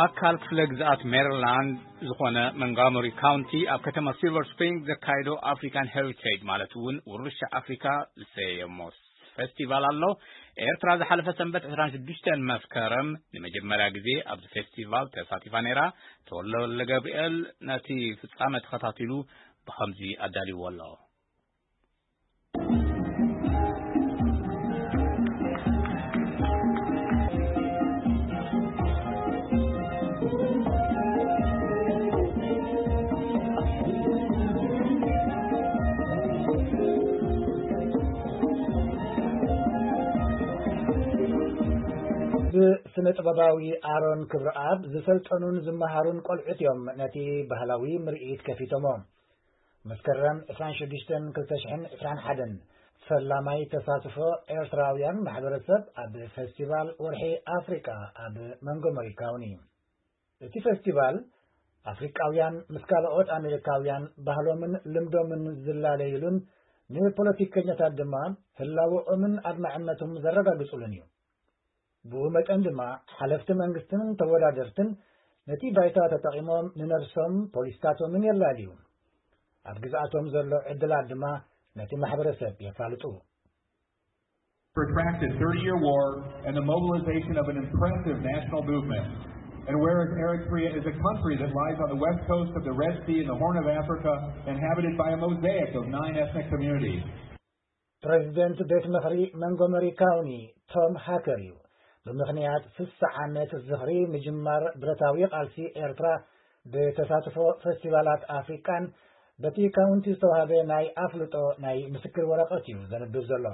ኣካል ክፍለ ግዝኣት ሜሪላንድ ዝኾነ መንጋሞሪ ካውንቲ ኣብ ከተማ ሲልቨር ስፕሪንግ ዘካየዶ ኣፍሪካን ሄሪቴጅ ማለት እውን ውርሻ ኣፍሪካ ዝሰየሞ ፌስቲቫል ኣሎ። ኤርትራ ዝሓለፈ ሰንበት ዕስራን ሽዱሽተን መስከረም ንመጀመርያ ግዜ ኣብዚ ፌስቲቫል ተሳቲፋ ነይራ። ተወልደ ወልደ ገብርኤል ነቲ ፍጻመ ተኸታቲሉ ብኸምዚ ኣዳልይዎ ኣሎ። ብስነ ጥበባዊ ኣሮን ክብረኣብ ዝሰልጠኑን ዝመሃሩን ቆልዑት እዮም ነቲ ባህላዊ ምርኢት ከፊቶሞ። መስከረም ዕስራን ሽዱሽተን ክልተ ሽሕን ዕስራን ሓደን ፈላማይ ተሳትፎ ኤርትራውያን ማሕበረሰብ ኣብ ፈስቲቫል ወርሒ ኣፍሪቃ ኣብ መንጎመሪ ካውኒ። እቲ ፈስቲቫል ኣፍሪቃውያን ምስ ካልኦት ኣሜሪካውያን ባህሎምን ልምዶምን ዝላለዩሉን ንፖለቲከኛታት ድማ ህላወኦምን ኣድማዕነቶም ዘረጋግጹሉን እዩ። ብኡ መጠን ድማ ሓለፍቲ መንግስትን ተወዳደርትን ነቲ ባይታ ተጠቒሞም ንነብሶም ፖሊስታቶምን የላልዩ። ኣብ ግዝኣቶም ዘሎ ዕድላት ድማ ነቲ ማሕበረሰብ የፋልጡ። Protracted thirty-year war and the mobilization of an impressive national movement. And whereas Eritrea is a country that lies on the west coast of the Red Sea in the Horn of Africa, inhabited by a mosaic of nine ethnic communities. ፕሬዚደንት ቤት ምኽሪ መንጎመሪ ካውኒ ቶም ሃከር እዩ። ብምኽንያት ስሳ ዓመት ዝኽሪ ምጅማር ብረታዊ ቃልሲ ኤርትራ ብተሳትፎ ፈስቲቫላት ኣፍሪቃን በቲ ካውንቲ ዝተዋህበ ናይ ኣፍልጦ ናይ ምስክር ወረቐት እዩ ዘንብብ ዘሎ።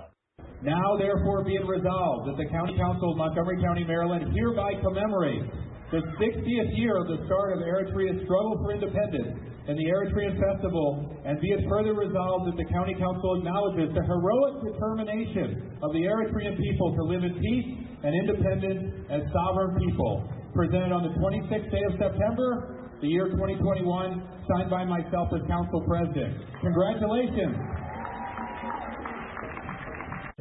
Now, therefore, be it resolved that the County Council of Montgomery County, Maryland hereby commemorates the sixtieth year of the start of Eritrea's struggle for independence and the Eritrean Festival, and be it further resolved that the County Council acknowledges the heroic determination of the Eritrean people to live in peace and independence as sovereign people, presented on the twenty-sixth day of September, the year twenty twenty-one, signed by myself as Council President. Congratulations!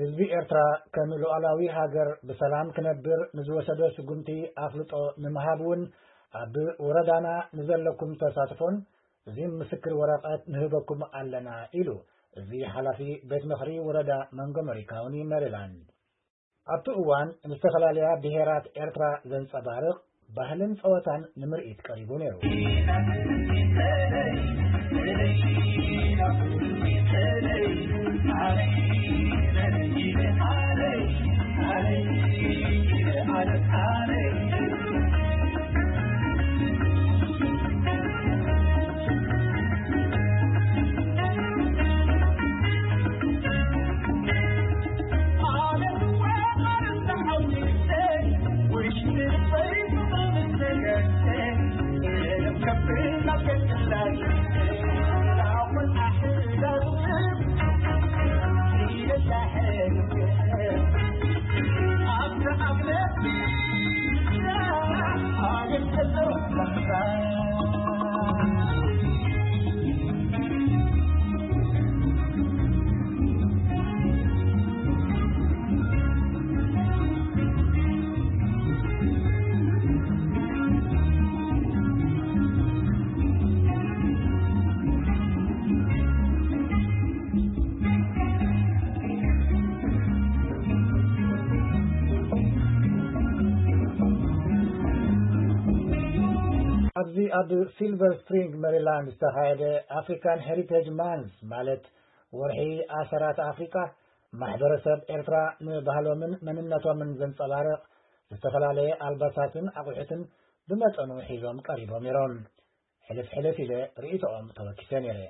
ህዝቢ ኤርትራ ከም ሉዓላዊ ሃገር ብሰላም ክነብር ንዝወሰዶ ስጉምቲ ኣፍልጦ ንምሃብ እውን ኣብ ወረዳና ንዘለኩም ተሳትፎን እዚ ምስክር ወረቐት ንህበኩም ኣለና ኢሉ እዚ ሓላፊ ቤት ምኽሪ ወረዳ መንጎመሪ ካውኒ ሜሪላንድ። ኣብቲ እዋን ዝተፈላለያ ብሄራት ኤርትራ ዘንጸባርቕ ባህልን ጸወታን ንምርኢት ቀሪቡ ነይሩ። ኣብዚ ኣብ ሲልቨር ስፕሪንግ ሜሪላንድ ዝተኻየደ ኣፍሪካን ሄሪቴጅ ማንስ ማለት ወርሒ ኣሰራት ኣፍሪካ ማሕበረሰብ ኤርትራ ንባህሎምን መንነቶምን ዘንጸባርቕ ዝተፈላለየ ኣልባሳትን ኣቑሑትን ብመጠኑ ሒዞም ቀሪቦም ነይሮም። ሕልፍ ሕልፍ ኢለ ርእይቶኦም ተወኪሰ ነይረ።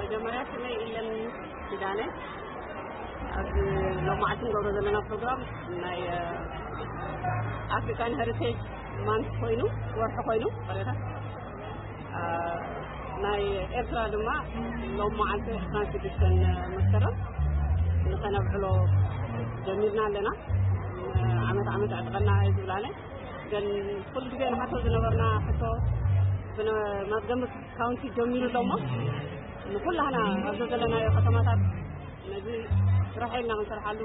መጀመርያ ስመይ ኢለን ኪዳነ። ኣብ ሎማዓልቲ ንገብሮ ዘለና ፕሮግራም ናይ ኣፍሪካን ሄሪቴጅ ማንት ኮይኑ ወርሒ ኮይኑ ቀሬታ ናይ ኤርትራ ድማ ሎም መዓልቲ ዕስራን ሽዱሽተን መስከረም ንኸነብዕሎ ጀሚርና ኣለና። ዓመት ዓመት ኣዕጥቀና እዩ ዝብላነ። ግን ኩሉ ግዜ ንሓቶ ዝነበርና ሕቶ ብመዝገምት ካውንቲ ጀሚሩ ኣሎ እሞ ንኩላህና ኣብዚ ዘለናዮ ከተማታት ነዚ ስራሕ ኢልና ክንሰርሓሉ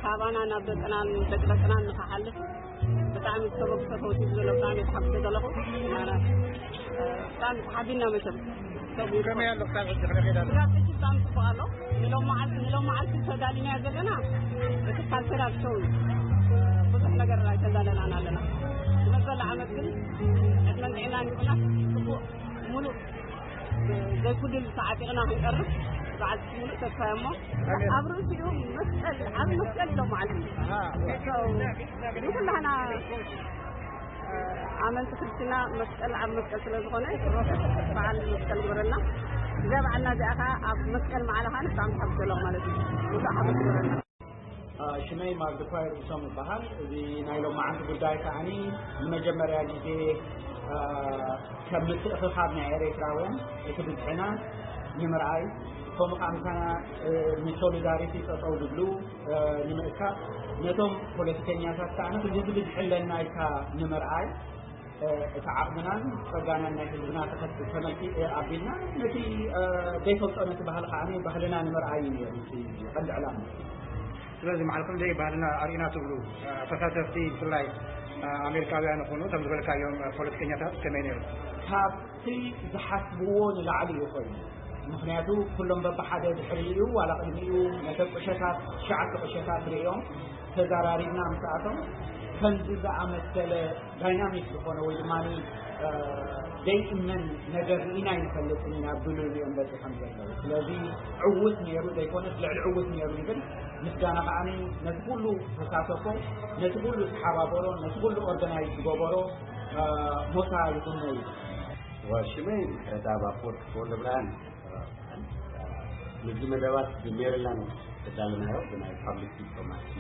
ካባና ናብ ደቅናን ደቂ ደቅናን ንክሓልፍ ብጣዕሚ ተበግሶ ተወሲዱ ዘሎ ብጣዕሚ ተሓጉሰ ዘለኹ። ብጣዕሚ ተሓቢና መቸም። ከመይ ኣሎ ክሳብ ሕጂ ከመይ ከይዳ ኣሎ? ብጣዕሚ ጽቡቕ ኣሎ። ንሎም መዓልቲ ንሎም መዓልቲ ተዳሊና ዘለና እቲ ካልቸራል ሾው ብዙሕ ነገር ኣይተዳለናን ኣለና። ዝመጸላ ዓመት ግን ዕድመን ጥዕናን ይኹና ጽቡቕ ሙሉእ ዘይጉድል ተዓጢቕና ክንቀርብ በዓል ሙሉእ ተስፋ እሞ ኣብ ርእሲኡ መስቀል ዓቢ መስቀል ኢሎም መዓልቲ ንኩላህና ኣመንቲ ክርስትና መስቀል ዓቢ መስቀል ስለ ዝኾነ በዓል መስቀል ግበረልና። እዛ በዓልና እዚኣ ከዓ ኣብ መስቀል መዓላ ከዓ ንሳም ሓብሰሎም ማለት እዩ። ብዙሕ ሓበስ ግበረልና። ሽመይ ማግድ ኳይር እሶም ይበሃል። እዚ ናይ ሎማዓንቲ ጉዳይ ከዓኒ ንመጀመርያ ግዜ ከም ምትእኽኻብ ናይ ኤርትራውያን እቲ ብዝሕና ንምርኣይ፣ ከምኡ ከዓ ምሳና ንሶሊዳሪቲ ጠጠው ዝብሉ ንምእካብ፣ ነቶም ፖለቲከኛታት ከዓ ንክልዚ ብዝሕለና ኢልካ ንምርኣይ፣ እቲ ዓቕምናን ጸጋናን ናይ ህዝብና ተኸት ተመልኪ ኣቢልና ነቲ ዘይፈልጦ ነቲ ባህሊ ከዓ ባህልና ንምርኣይ እዩ ነይሩ እቲ ቀንዲ ዕላማ። ስለዚ መዓልኩም ደይ ባህልና ኣርእና ትብሉ ተሳተፍቲ ብፍላይ ኣሜሪካውያን ይኹኑ ከም ዝበልካዮም ፖለቲከኛታት ከመይ ነይሩ? ካብቲ ዝሓስብዎ ንላዕሊ እዩ ኮይኑ። ምክንያቱ ኩሎም በብሓደ ድሕሪኡ ዋላ ቅድሚኡ ነተ ቁሸታት ትሽዓተ ቁሸታት ርእዮም ተዛራሪብና ምስኣቶም ከምዚ ዝኣመሰለ ዳይናሚክ ዝኾነ ወይ ድማ ዘይእመን ነገር ርኢና ይንፈልጥን ኢና ብልሉ እዮም በፂሖም ዘለዉ። ስለዚ ዕውት ነይሩ ዘይኮነስ ልዕሊ ዕውት ነይሩ ይብል። ምስጋና ከዓ ነቲ ኩሉ ተሳተፎ፣ ነቲ ኩሉ ተሓባበሮ፣ ነቲ ኩሉ ኦርጋናይዝ ዝገበሮ ሞሳ ይኹን እዩ። ሽመይ ምሕረተኣብ ኣፈወርቂ ተወልደብርሃን። ምስዚ መደባት ብሜሪላንድ ተዳለናዮ ብናይ ፓብሊክ ዲፕሎማሲ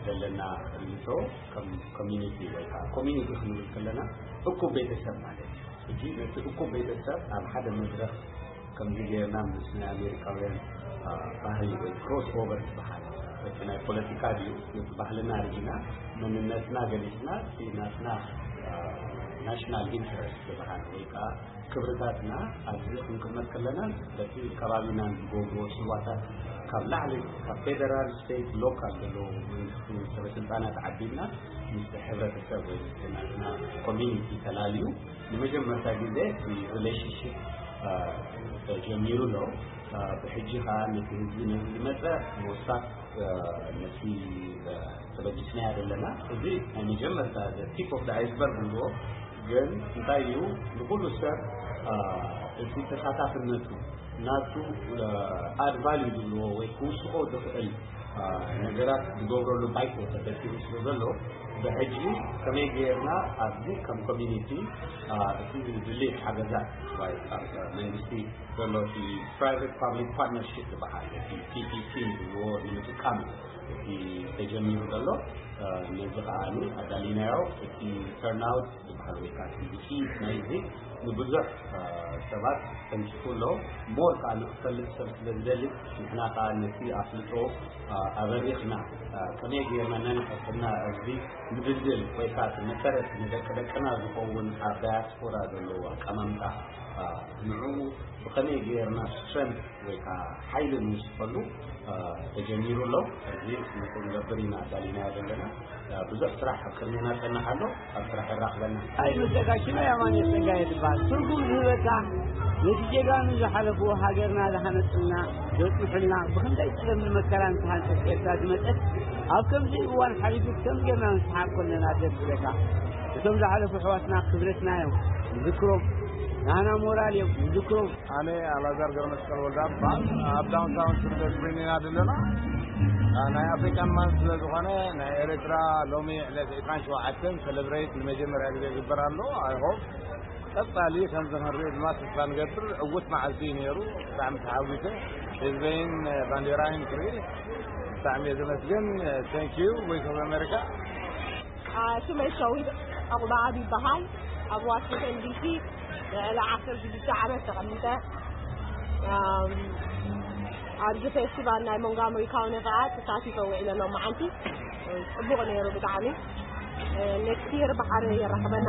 ዘለና ርኢቶ ከም ኮሚኒቲ ወይ ከዓ ኮሚኒቲ ክንብል ከለና እኩብ ቤተሰብ ማለት እዩ። ሕጂ ነቲ እኩብ ቤተሰብ ኣብ ሓደ መድረኽ ከምዚ ጌርና ምስ ናይ ኣሜሪካውያን ባህሊ ወይ ክሮስ ኦቨር ዝበሃል እቲ ናይ ፖለቲካ ድዩ ነቲ ባህልና ርኢና መንነትና ገሊፅና እቲ ናትና ናሽናል ኢንትረስት ዝበሃል ወይ ከዓ ክብርታትና ኣብዚ ክንቅመጥ ከለና በቲ ከባቢና ዝገብርዎ ፅዋታት ካብ ላዕሊ ካብ ፌደራል ስቴት ሎካል ዘለዎ መንግስቲ ሰበስልጣናት ዓቢልና ምስ ሕብረተሰብ ወይ ናትና ኮሚኒቲ ተላልዩ ንመጀመርታ ግዜ እቲ ሪሌሽንሽፕ ተጀሚሩ ኣሎ። ብሕጂ ከዓ ነቲ ህዝቢ ነዚ ዝመፀ ሞሳት ነቲ ተበጊስናያ ዘለና እዚ ናይ መጀመርታ ቲፕ ኦፍ ኣይስበርግ ንብሎ ግን እንታይ እዩ ንኩሉ ሰብ እቲ ተሳታፍነቱ ናቱ ኣድ ቫልዩ ዝብልዎ ወይ ክውስኮ ዝኽእል ነገራት ዝገብረሉ ባይቶ ተፈጢሩ ስለ ዘሎ ብሕጂ ከመይ ገይርና ኣብዚ ከም ኮሚኒቲ እቲ ድሌት ሓገዛት መንግስቲ ዘሎ እቲ ፕራይቬት ፓብሊክ ፓርትነርሽፕ ዝበሃል እቲ ፒፒፒ ዝብልዎ ንምጥቃም እዩ እቲ ተጀሚሩ ዘሎ። ነዚ ከዓ ኣዳሊናዮ እቲ ተርናውት ዝበሃል ወይ ከዓ ውፅኢት ናይዚ ንብዙሕ ሰባት ተንኪፉ ኣሎ። ሞር ከዓ ንክፈልጥ ሰብ ስለ ዝደሊ ንሕና ከዓ ነቲ ኣፍልጦ ኣበሪኽና ከመይ ገይርና ነንሕስና እዚ ምድልድል ወይ ከዓ መሰረት ንደቂ ደቅና ዝኸውን ኣብ ዳያስፖራ ዘለዎ ኣቀማምጣ ንዕኡ ብኸመይ ገይርና ስትረንት ወይ ከዓ ሓይሊ ንውስኸሉ ተጀሚሩ ኣሎ። እዚ ንክንገብር ኢና ኣዳሊናዮ ዘለና። ብዙሕ ስራሕ ኣብ ቅድሜና ፀንሕ ኣሎ። ኣብ ስራሕ የራኽበና። ኣይ መስተጋሽና ያማን የጸጋየ ትበሃል። ትርጉም ዝህበካ ነቲ ጀጋኑ ዝሓለፍዎ ሃገርና ዝሃነጽልና ዘጽንሑልና ብኽንደይ ጸለምን መከራን ዝተሃንጸት ኤርትራ ዝመጸት ኣብ ከምዚ እዋን ሓሊፉ ከም ጌርና ንስሓቅ ኮለና ደስ ዝብለካ። እቶም ዝሓለፉ ኣሕዋትና ክብረትና እዮም ንዝክሮም። ናህና ሞራል እዮም ንዝክሮም። ኣነ ኣላዛር ገብረመስቀል ወልዳ እባል ኣብ ዳውንታውን ስደት ኮይንና ዘለና ናይ ኣፍሪካን ማን ስለ ዝኾነ ናይ ኤርትራ ሎሚ ዕለት ዕስራን ሸውዓተን ሰለብሬት ንመጀመርያ ግዜ ይግበር ኣሎ። ኣይሆፕ ቀጻሊ ከምዚ ክንርኢ ድማ ተስፋ ንገብር። ዕውት መዓልቲ እዩ ነይሩ። ብጣዕሚ ተሓጒሰ ህዝበይን ባንዴራይን ክርኢ ብጣዕሚ እየ ዘመስግን። Thank you Voice of America። ሽመይ ሸዊት ዕቑባኣብ ይበሃል። ኣብ ዋሽንግተን ዲሲ ልዕሊ ዓሰርተ ሽዱሽተ ዓመት ተቐሚጠ። ኣብዚ ፌስቲቫል ናይ ሞንጋመሪ ካውኒ ከዓ ተሳቲፈ ውዒለ ሎም መዓልቲ። ፅቡቕ ነይሩ ብጣዕሚ። ኔክስት ይር ብሓደ የራኽበና።